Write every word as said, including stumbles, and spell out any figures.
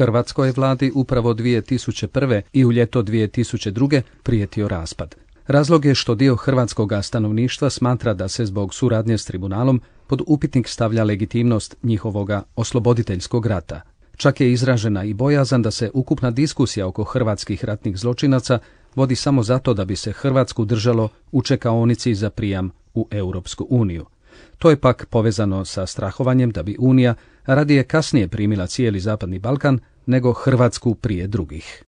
Hrvatskoj vladi upravo dvije tisuće prve i u ljeto dvije tisuće druge prijetio raspad. Razlog je što dio hrvatskoga stanovništva smatra da se zbog suradnje s tribunalom pod upitnik stavlja legitimnost njihovoga osloboditeljskog rata. Čak je izražena i bojazan da se ukupna diskusija oko hrvatskih ratnih zločinaca vodi samo zato da bi se Hrvatsku držalo u čekaonici za prijam u Europsku uniju. To je pak povezano sa strahovanjem da bi Unija radije kasnije primila cijeli Zapadni Balkan nego Hrvatsku prije drugih.